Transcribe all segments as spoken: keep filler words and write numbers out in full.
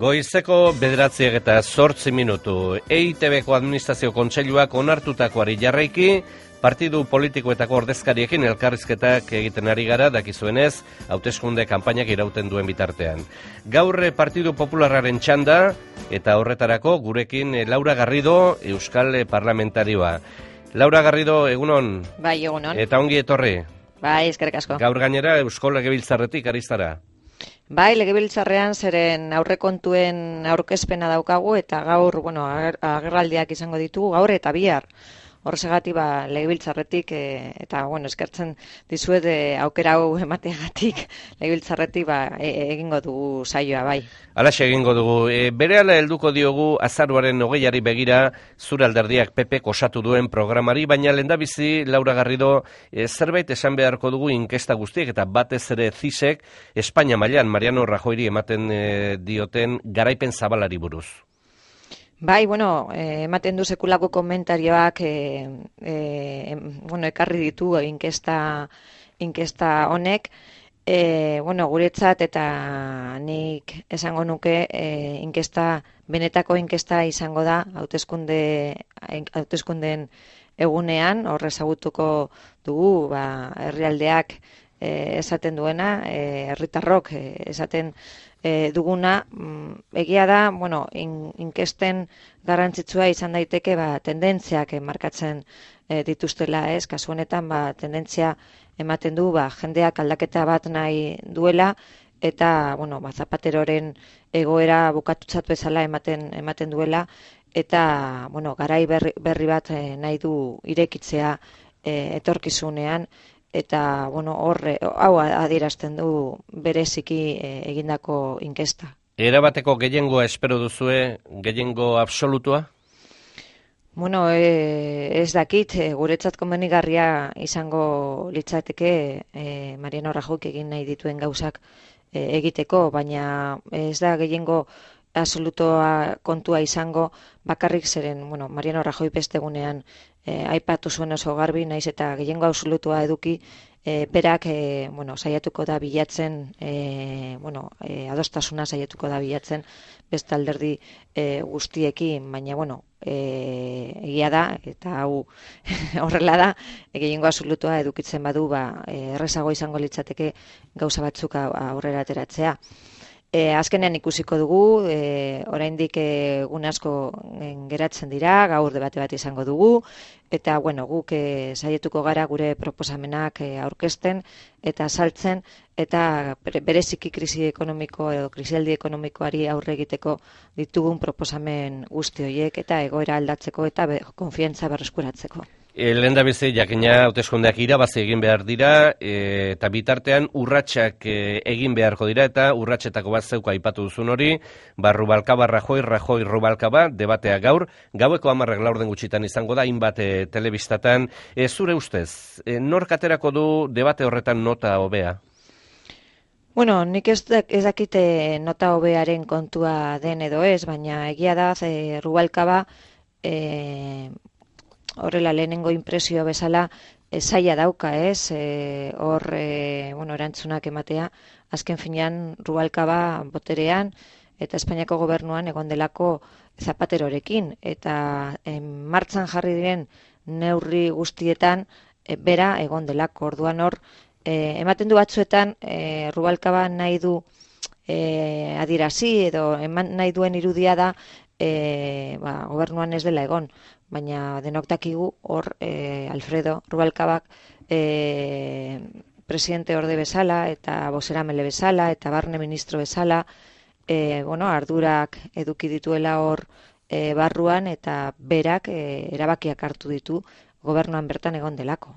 Goizeko bederatziak eta zortzi minutu. E I Te Beko Administrazio Kontseiluak onartutakoari jarraiki, partidu politikoetako ordezkariekin elkarrizketak egiten ari gara, dakizuenez, hauteskunde kanpainak irauten duen bitartean. Gaur Partidu Popularraren txanda, eta horretarako gurekin Laura Garrido, Euskal Parlamentarioa. Laura Garrido, egunon? Bai, egunon. Eta ongi etorri? Bai, eskerrik asko. Gaur gainera Eusko Legebiltzarretik ariztara. Bai, Legebiltzarrean zeren aurrekontuen aurkezpena daukagu eta gaur, bueno, agerraldiak izango ditugu gaur eta bihar. Horrezagatik ba Legebiltzarretik e, eta bueno, eskertzen dizuet e, aukera hau emateagatik Legebiltzarretik ba e, egingo dugu saioa bai. Halaxe egingo dugu. E, berehala helduko diogu azaroaren hogeiari begira zure alderdiak P Pek osatu duen programari, baina lehendabizi Laura Garrido e, zerbait esan beharko dugu inkesta guztiek eta batez ere CISek Espainia mailan Mariano Rajoyri ematen e, dioten garaipen zabalari buruz. Bai, bueno, eh, ematen du sekulako komentarioak eh, eh, bueno, ekarri ditu inkesta, inkesta honek. Eh, bueno, guretzat eta nik esango nuke eh, inkesta, benetako inkesta izango da hauteskunde, hauteskundeen egunean, horre ezagutuko dugu, ba, herrialdeak eh, esaten duena, eh, herritarrok eh, esaten E, duguna, egia da, bueno, in, inkesten garrantzitsua izan daiteke ba, tendentziak markatzen e, dituztela, ez? Kasu honetan, ba, tendentzia ematen du, ba, jendeak aldaketa bat nahi duela, eta, bueno, ba, Zapateroren egoera bukatutzat bezala ematen, ematen duela, eta, bueno, garai berri, berri bat e, nahi du irekitzea e, etorkizunean, eta, bueno, horre, hau adierazten du bereziki e, egindako inkesta. Erabateko gehiengoa espero duzue, gehiengo absolutua? Bueno, e, ez dakit, e, guretzat komenigarria izango litzateke e, Mariano Rajoyk egin nahi dituen gauzak e, egiteko, baina ez da gehiengo absolutoa kontua izango bakarrik zeren, bueno, Mariano Rajoy beste egunean E, aipatu zuen oso garbi, naiz eta gehiengo absolutua eduki, e, berak e, bueno, saiatuko da bilatzen, e, bueno, e, adostasuna saiatuko da bilatzen beste alderdi e, guztiekin, baina, bueno, e, egia da, eta hau horrela da, e, gehiengo absolutua edukitzen badu, ba, e, errezago izango litzateke gauza batzuk aurrera ateratzea. E, azkenean ikusiko dugu, e, oraindik egun asko geratzen dira, gaur debate bat izango dugu, eta bueno, guk e, saietuko gara gure proposamenak e, aurkezten eta saltzen, eta bereziki krisi ekonomiko edo krisialdi ekonomikoari aurre egiteko ditugun proposamen guzti horiek eta egoera aldatzeko eta be, konfiantza berreskuratzeko. E, Lehendabizi jakina hauteskundeak irabazi egin behar dira e, eta bitartean urratsak e, egin beharko dira eta urratsetako bat zeuko aipatu duzun hori, ba Rubalcaba Rajoy, Rajoy Rubalcaba debatea gaur, gaueko hamarrak laurden gutxitan izango da hainbat e, telebistatan. E, zure ustez, e, nork aterako du debate horretan nota hobea? Bueno, nik ez, ez dakite nota hobearen kontua den edo ez, baina egia da e, Rubalcaba e, horrela lehenengo impresio bezala e, zaila dauka, ez? E, hor, e, bueno, erantzunak ematea, azken finean Rubalcaba boterean eta Espainiako gobernuan egon delako Zapaterorekin, eta e, martxan jarri diren neurri guztietan e, bera egon delako, orduan hor, e, ematen du batzuetan e, Rubalcaba nahi du e, adirazi edo eman nahi duen irudia da e, ba, gobernuan ez dela egon, baina denok dakigu hor e, Alfredo Rubalcabak e, presidente orde bezala eta bozeramele bezala eta barne ministro bezala e, bueno, ardurak eduki dituela hor e, barruan eta berak e, erabakiak hartu ditu gobernuan bertan egon delako.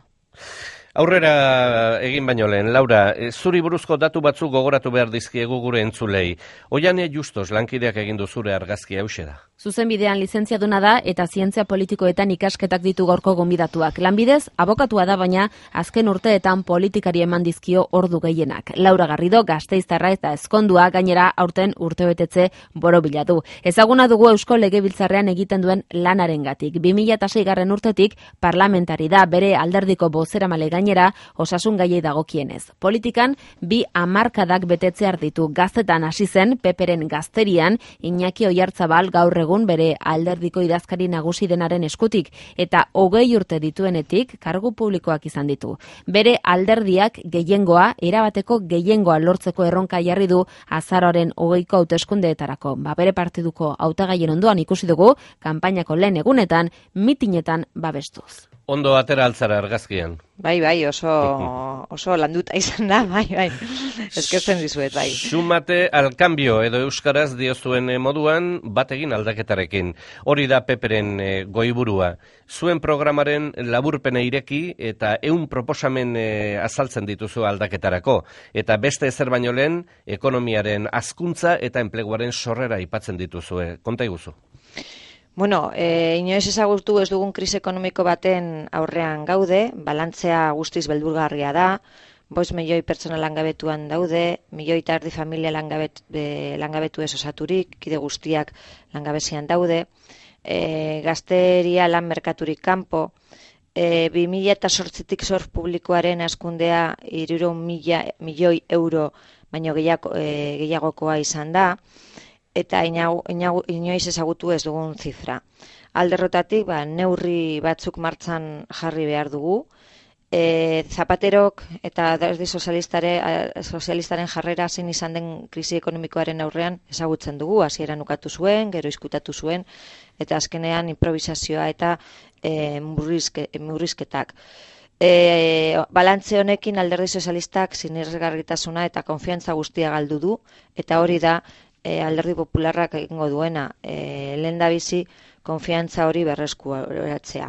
Aurrera egin baino lehen, Laura, zuri buruzko datu batzuk gogoratu behar dizkiegu gure entzulei. Oiane Justos lankideak egin du zure argazkia hauxe da. Zuzenbidean lizentziaduna da eta zientzia politikoetan ikasketak ditu gaurko gonbidatuak. Lanbidez, abokatua da baina azken urteetan politikari eman dizkio ordu gehienak. Laura Garrido, Gasteiztarra eta ezkondua gainera aurten urtebetetze borobila du. Ezaguna dugu Eusko Legebiltzarrean egiten duen lanarengatik. bi mila seigarren urtetik parlamentari da, bere alderdiko bozeramale gainera osasun gaiei dagokienez. Politikan bi hamarkadak betetzear ditu. Gaztetan hasi zen Peperen Gazterian, Iñaki Oiartzabal gaur egun bere alderdiko idazkari nagusi denaren eskutik eta hogei urte dituenetik kargu publikoak izan ditu. Bere alderdiak gehiengoa, erabateko gehiengoa lortzeko erronka jarri du azaroaren hogeiko hauteskundeetarako. Ba, bere partiduko hautagaien ondoan ikusi dugu, kanpainako lehen egunetan, mitinetan babestuz. Ondo atera altzara argazkian. Bai, bai, oso, oso landuta izan da, bai, bai. Eskertzen dizuet, bai. Sumate al cambio edo euskaraz diozuen moduan bategin aldaketarekin. Hori da Peperen e, goiburua. Zuen programaren laburpena ireki eta ehun proposamen e, azaltzen dituzu aldaketarako. Eta beste ezer baino lehen, ekonomiaren hazkuntza eta enpleguaren sorrera aipatzen dituzue. Konta iguzu. Bueno, e, inoiz ezagutu ez dugun krisi ekonomiko baten aurrean gaude, balantzea guztiz beldurgarria da, bost milioi pertsona langabetuan daude, milioi eta erdi familia langabet, e, langabetu ez osaturik, kide guztiak langabezian daude, e, gazteria lan merkaturik kanpo, e, bi mila eta sortzitik zorf publikoaren hazkundea hirurehun mila milioi euro baino gehiago, e, gehiagokoa izan da, eta inoiz ezagutu ez dugun zifra. Alderrotatik, ba, neurri batzuk martxan jarri behar dugu. E, Zapaterok eta alderdi sozialistaren jarrera zein izan den krisi ekonomikoaren aurrean ezagutzen dugu. Hasieran ukatu zuen, gero izkutatu zuen, eta azkenean improvisazioa eta e, murrizke, murrizketak. E, balantze honekin alderdi sozialistak sinesgarritasuna eta konfiantza guztia galdu du, eta hori da E, alderdi popularrak egingo duena, e, lehen da bizi konfiantza hori berreskuratzea.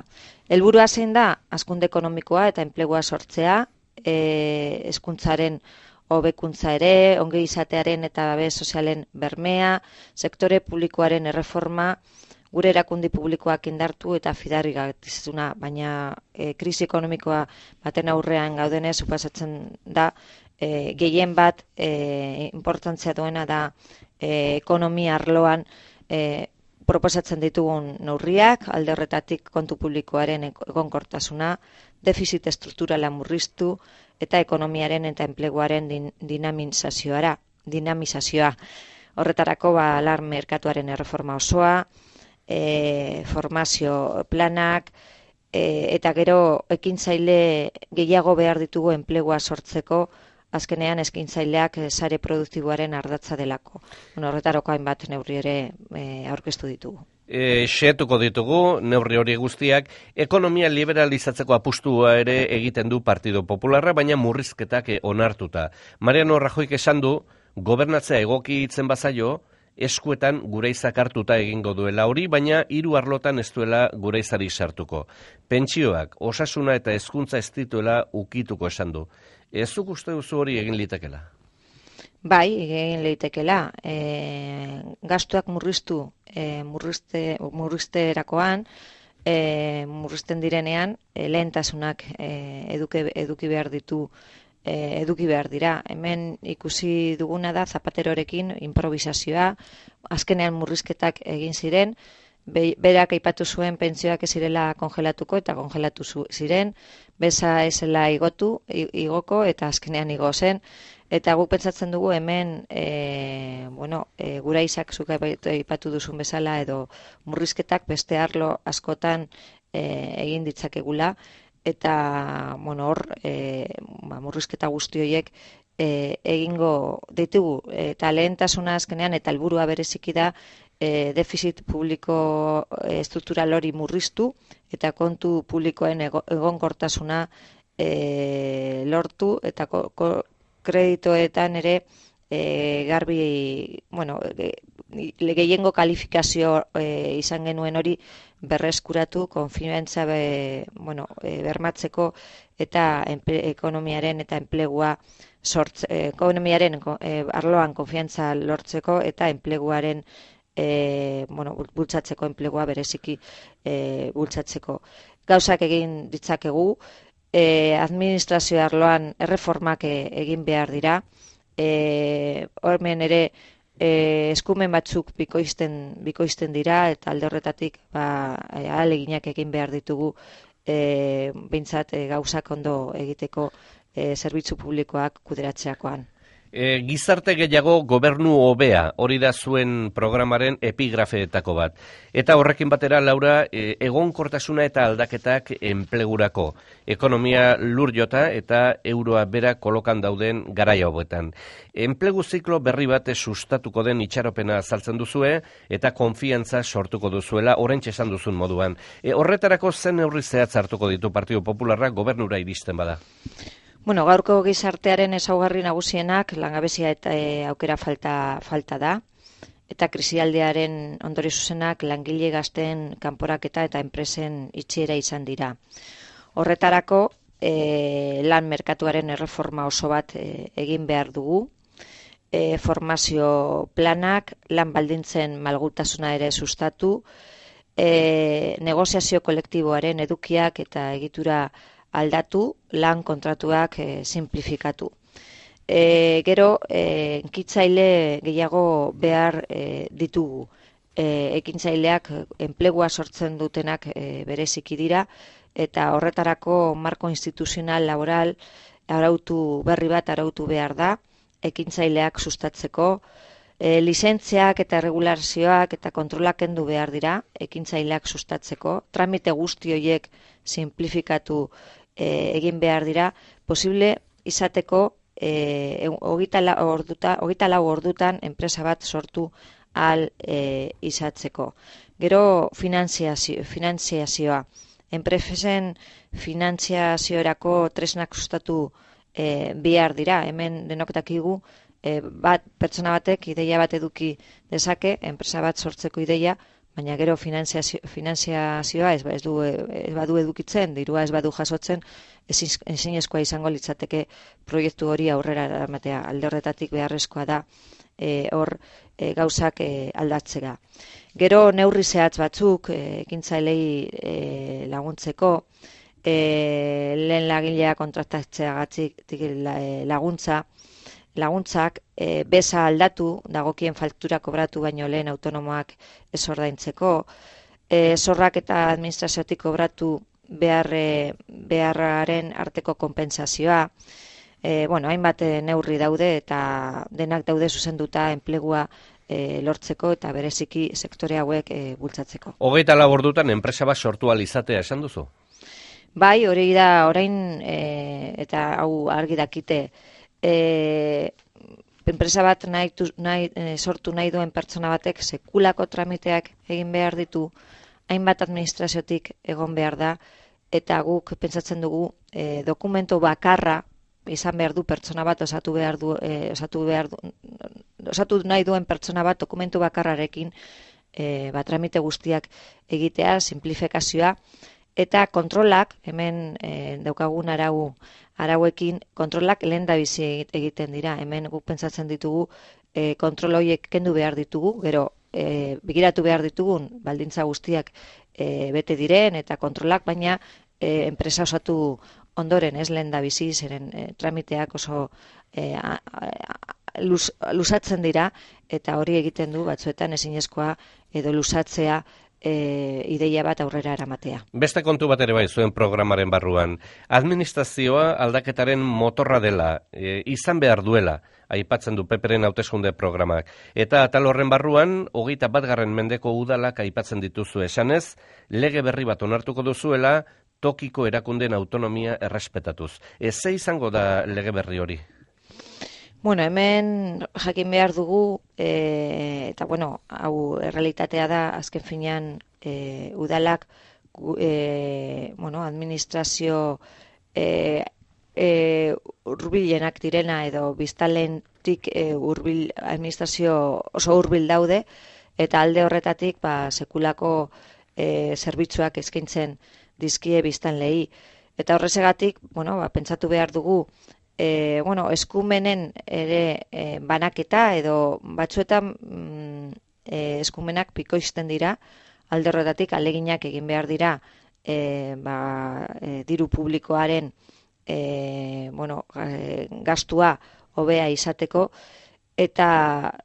Helburua zein da, hazkunde ekonomikoa eta enplegua sortzea, e, hezkuntzaren hobekuntza ere, ongi izatearen eta babes sozialen bermea, sektore publikoaren erreforma, gure erakundi publikoak indartu eta fidarrigarritasuna, baina e, krisi ekonomikoa baten aurrean gaudenez suposatzen da, e, gehien bat e, importantzia duena da E, ekonomia arloan e, proposatzen ditugun neurriak, alde horretatik kontu publikoaren egonkortasuna, defizit estrukturala murriztu eta ekonomiaren eta enpleguaren din, dinamizazioa. dinamizazioa. Horretarako ba, lan merkatuaren erreforma osoa, e, formazio planak, e, eta gero ekintzaile gehiago behar ditugu enplegua sortzeko, azkenean eskaintzaileak sare produktiboaren ardatza delako. Bueno, horretarako hainbat neurri ere e, aurkeztu ditugu. E, xetuko ditugu, neurri hori guztiak, ekonomia liberalizatzeko apustua ere egiten du Partido Popularra, baina murrizketak onartuta. Mariano Rajoyk esan du, gobernatzea egoki hitzen bazaio, eskuetan gureizak hartuta egingo duela hori, baina hiru arlotan ez duela gureizari sartuko. Pentsioak, osasuna eta hezkuntza ez dituela ukituko esan du. Ez zuk uste duzu hori egin litekela? Bai, egin litekela. E, gastuak murriztu, e, murrizte, murrizterakoan, e, murrizten direnean, e, lehentasunak e, eduke, eduki behar ditu, e, eduki behar dira. Hemen ikusi duguna da Zapaterorekin improvisazioa, azkenean murrizketak egin ziren, berak aipatu zuen pentsioak ez zirela kongelatuko eta kongelatu ziren, beza ezela igotu, igoko eta azkenean igo zen, eta guk pentsatzen dugu hemen e, bueno, e, gura izak zuk aipatu duzun bezala edo murrizketak beste arlo askotan e, egin ditzakegula, eta bueno, hor e, ba, murrizketa guzti horiek e, egingo ditugu, eta lehentasuna azkenean eta helburua bereziki da E, defizit publiko e, estruktural hori murriztu eta kontu publikoen egonkortasuna e, lortu eta ko, ko, kreditoetan ere e, garbi, bueno, e, gehiengo kalifikazio e, izan genuen hori berreskuratu, konfiantza be, bueno, e, bermatzeko eta enple, ekonomiaren eta enplegua sortze, ekonomiaren e, arloan konfiantza lortzeko eta enpleguaren e, bueno, bultzatzeko enplegua bereziki e, bultzatzeko. Gauzak egin ditzakegu, e, administrazio arloan erreformak e, egin behar dira, e, hormen ere e, eskumen batzuk bikoizten, bikoizten dira, eta alde horretatik ba, ahaleginak egin behar ditugu e, behintzat e, gauzak ondo egiteko e, zerbitzu publikoak kuderatzeakoan. E, gizarte gehiago gobernu hobea, hori da zuen programaren epigrafeetako bat. Eta horrekin batera, Laura, e, egonkortasuna eta aldaketak enplegurako. Ekonomia lur jota eta euroa bera kolokan dauden garaia hobetan. Enplegu ziklo berri bat sustatuko den itxaropena azaltzen duzue eta konfiantza sortuko duzuela oraintxe esan duzun moduan. E, horretarako zen neurri zehatz hartuko ditu Partidu Popularra gobernura iristen bada? Bueno, gaurko gizartearen ezaugarri nagusienak langabezia eta e, aukera falta, falta da, eta krisialdiaren ondorio zuzenak langile gazteen kanporaketa eta enpresen itxiera izan dira. Horretarako e, lan merkatuaren erreforma oso bat e, egin behar dugu, e, formazio planak, lan baldintzen malgutasuna ere sustatu, e, negoziazio kolektiboaren edukiak eta egitura aldatu, lan kontratuak e, simplifikatu. E, gero, e, ekintzaile gehiago behar e, ditugu. E, ekintzaileak enplegua sortzen dutenak e, bereziki dira, eta horretarako marko instituzional laboral arautu berri bat arautu behar da, ekintzaileak sustatzeko, e, lizentziak eta regulazioak eta kontrolak kendu behar dira, ekintzaileak sustatzeko, tramite guzti horiek simplifikatu E, egin behar dira, posible izateko e, hogeita lau ordutan enpresa bat sortu al e, izatzeko. Gero finanziazio, finanziazioa. Enpresen finanziaziorako tresnak sustatu e, behar dira. Hemen denok dakigu e, bat, pertsona batek ideia bat eduki dezake, enpresa bat sortzeko ideia, baina gero finanziazio, finanziazioa ez, ez, du, ez badu edukitzen, dirua ez badu jasotzen, ezinezkoa izango litzateke proiektu hori aurrera eramatea. Alde horretatik beharrezkoa da e, hor e, gauzak e, aldatzea. Gero neurri zehatz batzuk e, ekintzailei e, laguntzeko, e, lehen lagilea kontraktatzeagatik laguntza, laguntzak, e, beza aldatu, dagokien faktura kobratu baino lehen autonomoak ez ordaintzeko, e, zorrak eta administraziotik kobratu behar, e, beharraren arteko konpentsazioa, e, bueno, hainbat neurri daude eta denak daude zuzenduta enplegua e, lortzeko eta bereziki sektore hauek e, bultzatzeko. Hogeita lau ordutan enpresa bat sortu ahal izatea esan duzu? Bai, hori da orain e, eta hau argi dakite, E, enpresa bat nahi, nahi, e, sortu nahi duen pertsona batek sekulako tramiteak egin behar ditu, hainbat administraziotik egon behar da, eta guk pentsatzen dugu e, dokumento bakarra izan behar du pertsona bat osatu behar du, e, osatu behar du, osatu nahi duen pertsona bat dokumentu bakarrarekin e, bat tramite guztiak egitea, simplifikazioa, eta kontrolak, hemen e, daukagun arau arauekin kontrolak lehen da bizi egiten dira. Hemen guk pentsatzen ditugu e, kontrol horiek kendu behar ditugu, gero e, begiratu behar ditugun baldintza guztiak e, bete diren eta kontrolak, baina e, enpresa osatu ondoren ez lehen da bizi, zeren e, tramiteak oso e, a, a, luz, luzatzen dira eta hori egiten du batzuetan ezinezkoa edo luzatzea E, ideia bat aurrera eramatea. Beste kontu bat ere bai zuen programaren barruan. Administrazioa aldaketaren motorra dela, e, izan behar duela, aipatzen du Peperen hauteskunde programak. Eta atal horren barruan, hogeita batgarren mendeko udalak aipatzen dituzu esanez, lege berri bat onartuko duzuela, tokiko erakundeen autonomia errespetatuz. Ez ze izango da lege berri hori? Bueno, hemen jakin behar dugu, e, eta bueno, hau errealitatea da, azken finean e, udalak e, bueno, administrazio e, e, urbilenak direna edo biztalentik e, urbil, administrazio oso urbil daude, eta alde horretatik ba, sekulako e, zerbitzuak eskaintzen dizkie biztanlei. Eta horrezegatik, bueno, ba, pentsatu behar dugu, E, bueno, eskumenen ere e, banaketa edo batzuetan mm, e, eskumenak pikoizten dira, alde horretatik aleginak egin behar dira e, ba, e, diru publikoaren e, bueno, e, gastua hobea izateko, eta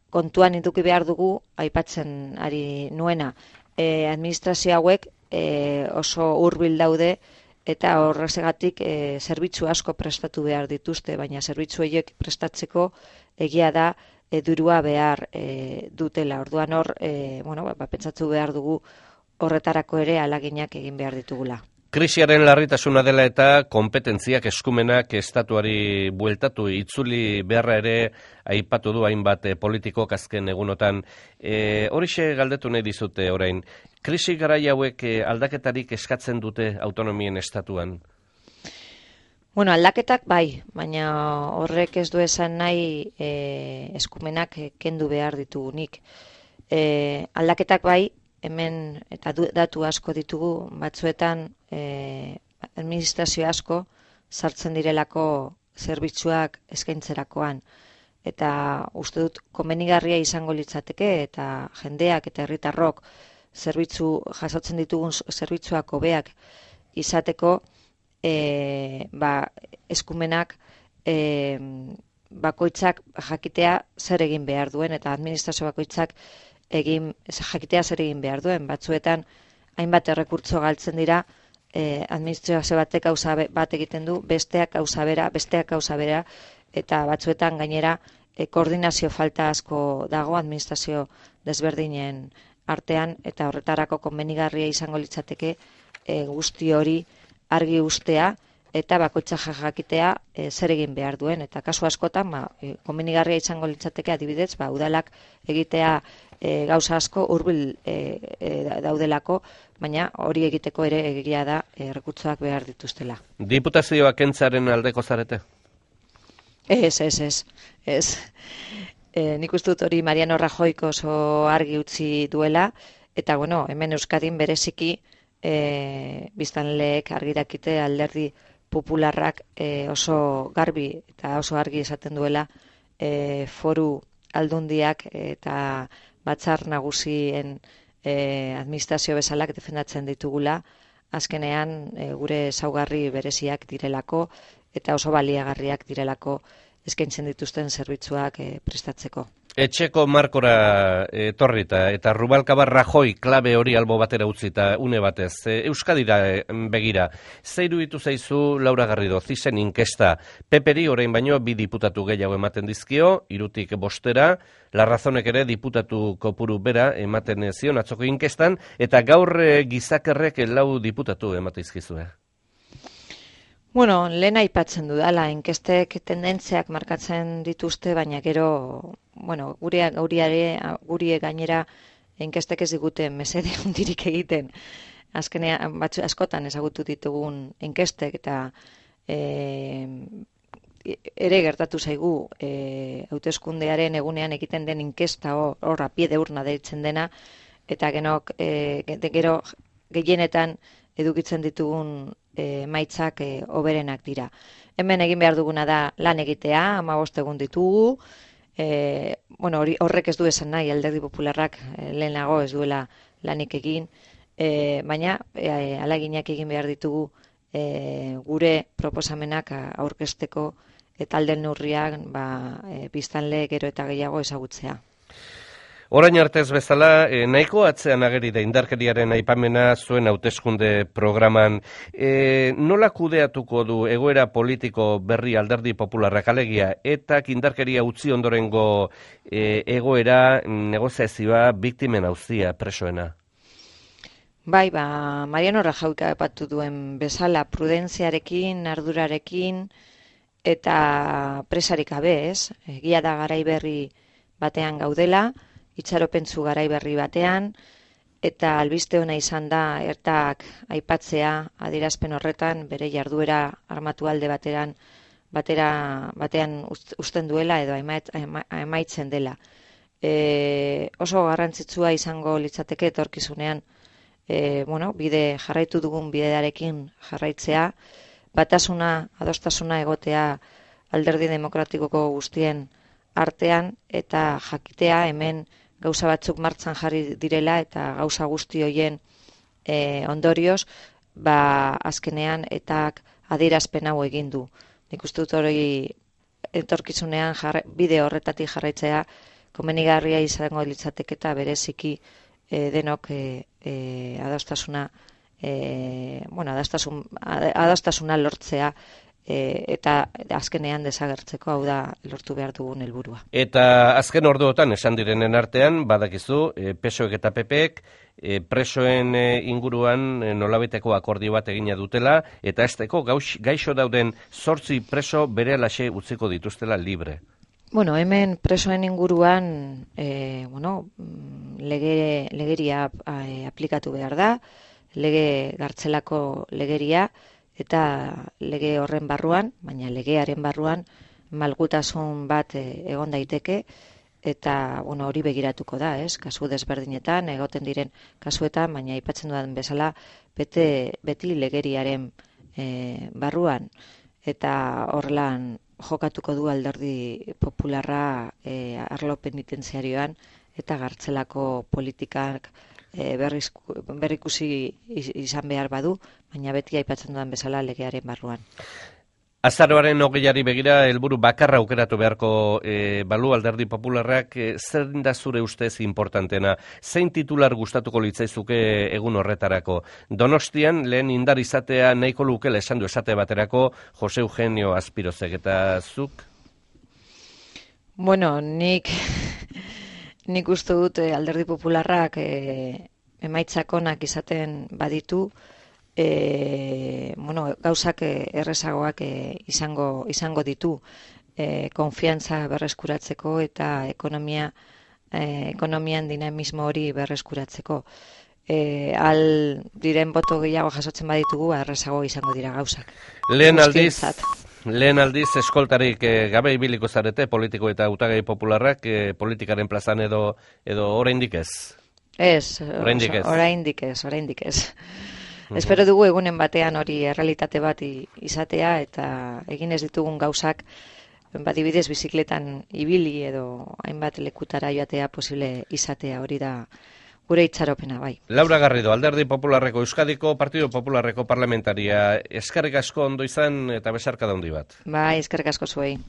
kontuan eduki behar dugu, aipatzen ari nuena, e, administrazio hauek e, oso hurbil daude, eta horregatik e, zerbitzu asko prestatu behar dituzte, baina zerbitzu horiek prestatzeko egia da e, dirua behar e, dutela. Orduan hor, e, bueno, ba, pentsatu behar dugu horretarako ere alaginak egin behar ditugula. Krisiaren larritasuna dela eta kompetentziak eskumenak estatuari bueltatu itzuli beharra ere aipatu du hainbat eh, politikok azken egunotan. E, horixe galdetu nahi dizute orain. Krisi garai hauek eh, aldaketarik eskatzen dute autonomien estatuan? Bueno, aldaketak bai, baina horrek ez du esan nahi e, eskumenak kendu behar ditugunik. E, aldaketak bai, hemen eta datu asko ditugu, batzuetan e, administrazio asko sartzen direlako zerbitzuak eskaintzerakoan. Eta uste dut komenigarria izango litzateke eta jendeak eta herritarrok zerbitzu jasotzen ditugun zerbitzuak hobeak izateko e, ba, eskumenak e, bakoitzak jakitea zer egin behar duen eta administrazio bakoitzak egin jakitea zer egin behar duen. Batzuetan hainbat errekurtso galtzen dira, eh, administrazio batek gauza bat egiten du, besteak gauza bera, besteak gauza bera, eta batzuetan gainera eh, koordinazio falta asko dago administrazio desberdinen artean, eta horretarako konbenigarria izango litzateke eh, guzti hori argi ustea, eta bakoitza jakitea e, zer egin behar duen. Eta kasu askotan, ba, e, konbenigarria izango litzateke adibidez, ba, udalak egitea e, gauza asko hurbil e, e, daudelako, baina hori egiteko ere egia da e, errekurtsoak behar dituztela. Diputazioak kentzaren aldeko zarete? Ez, ez, ez. ez. E, nik uste dut hori Mariano Rajoyk oso argi utzi duela, eta bueno, hemen Euskadin bereziki e, biztanleek argi dakite alderdi popularrak e, oso garbi eta oso argi esaten duela e, foru aldundiak eta batzar nagusien e, administrazio bezalak defendatzen ditugula, azkenean e, gure ezaugarri bereziak direlako eta oso baliagarriak direlako eskaintzen dituzten zerbitzuak e, prestatzeko. Etxeko markora etorrita eta Rubalcaba Rajoy klabe hori albo batera utzita une batez. Euskadira begira, ze iruditu zaizu Laura Garrido, zizen inkesta. Peperi orain baino bi diputatu gehiago ematen dizkio, hirutik bostera, Larrazonek ere diputatu kopuru bera ematen zion atzoko inkestan, eta gaur gizakerrek lau diputatu ematen dizkizue. Bueno, lehen aipatzen dudala, inkestek tendentziak markatzen dituzte, baina gero, bueno, guri, guriare, guri gainera inkestek ez digute mesede hundirik egiten. Azkenean, batzu askotan ezagutu ditugun inkestek eta e, ere gertatu zaigu e, hauteskundearen egunean egiten den inkesta horra pie de urna deitzen dena, eta genok, e, gero gehienetan edukitzen ditugun emaitzak e, oberenak dira. Hemen egin behar duguna da lan egitea, hamabost egun ditugu, e, bueno, hori, horrek ez du esan nahi, alderdi popularrak e, lehenago ez duela lanik egin, e, baina e, alaginak egin behar ditugu e, gure proposamenak aurkezteko eta alden neurriak ba, e, biztanle gero eta gehiago ezagutzea. Orain artez bezala, eh, nahiko atzean ageri da indarkeriaren aipamena zuen hauteskunde programan. Eh, nola kudeatuko du egoera politiko berri alderdi popularrak alegia eta indarkeria utzi ondorengo eh, egoera negoziazioa biktimen auzia presoena? Bai, ba, Mariano Rajoy aipatu duen bezala prudentziarekin, ardurarekin eta presarik gabe, ez? Egia da garai berri batean gaudela, itxaropentzu garai berri batean, eta albiste ona izan da ertak aipatzea adierazpen horretan bere jarduera armatu alde bateran batera batean uzten duela edo emaitzen dela. E, oso garrantzitsua izango litzateke etorkizunean e, bueno, bide jarraitu dugun bidearekin jarraitzea, batasuna, adostasuna egotea alderdi demokratikoko guztien artean eta jakitea hemen gauza batzuk martxan jarri direla eta gauza guzti hoien e, ondorioz, ba azkenean eta adierazpen hau egin du. Nik uste dut hori etorkizunean jarra, bide horretatik jarraitzea komenigarria izango litzateke eta bereziki e, denok e, e, adostasuna e, bueno, adostasun, adostasuna lortzea e, eta azkenean desagertzeko, hau da lortu behar dugun helburua. Eta azken orduotan esan direnen artean, badakizu, e, P S O ek eta P P ek e, presoen e, inguruan e, nolabiteko akordio bat egina dutela, eta esteko gaixo dauden zortzi preso berehalaxe utziko dituztela libre. Bueno, hemen presoen inguruan e, bueno, lege, legeria e, aplikatu behar da, lege gartzelako legeria, eta lege horren barruan, baina legearen barruan malgutasun bat e, egon daiteke, eta bueno, hori begiratuko da, ez? Kasu desberdinetan, egoten diren kasuetan, baina aipatzen dudan bezala, bete, beti legeriaren e, barruan, eta horrelan jokatuko du alderdi popularra e, arlo penitentziarioan eta gartzelako politikak e, berriz, berrikusi izan behar badu, baina beti aipatzen dudan bezala legearen barruan. Azaroaren hogeiari begira helburu bakarra aukeratu beharko e, balu alderdi popularrak, e, zer da zure ustez importantena? Zein titular gustatuko litzaizuke egun horretarako? Donostian lehen indar izatea nahiko lukela esan du esate baterako Jose Eugenio Azpirozek, eta zuk? Bueno, nik nik uste dut alderdi popularrak e, emaitzak onak izaten baditu, E, bueno, gauzak errezagoak e, izango, izango ditu e, konfiantza berreskuratzeko eta ekonomia, e, ekonomian dinamismo hori berreskuratzeko. E, al diren boto gehiago jasotzen baditugu, errezago izango dira gauzak. Lehen aldiz, lehen aldiz eskoltarik e, gabe ibiliko zarete politiko eta hautagai popularrak e, politikaren plazan edo, edo oraindik ez? Ez, oraindik ez, oraindik ez, oraindik ez. Espero dugu egunen batean hori errealitate bat izatea eta egin ez ditugun gauzak badibidez bizikletan ibili edo hainbat lekutara joatea posible izatea, hori da gure itxaropena, bai. Laura Garrido, Alderdi Popularreko Euskadiko Partido Popularreko parlamentaria, eskerrik asko ondo izan eta besarkada handi bat. Bai, eskerrik asko zuei.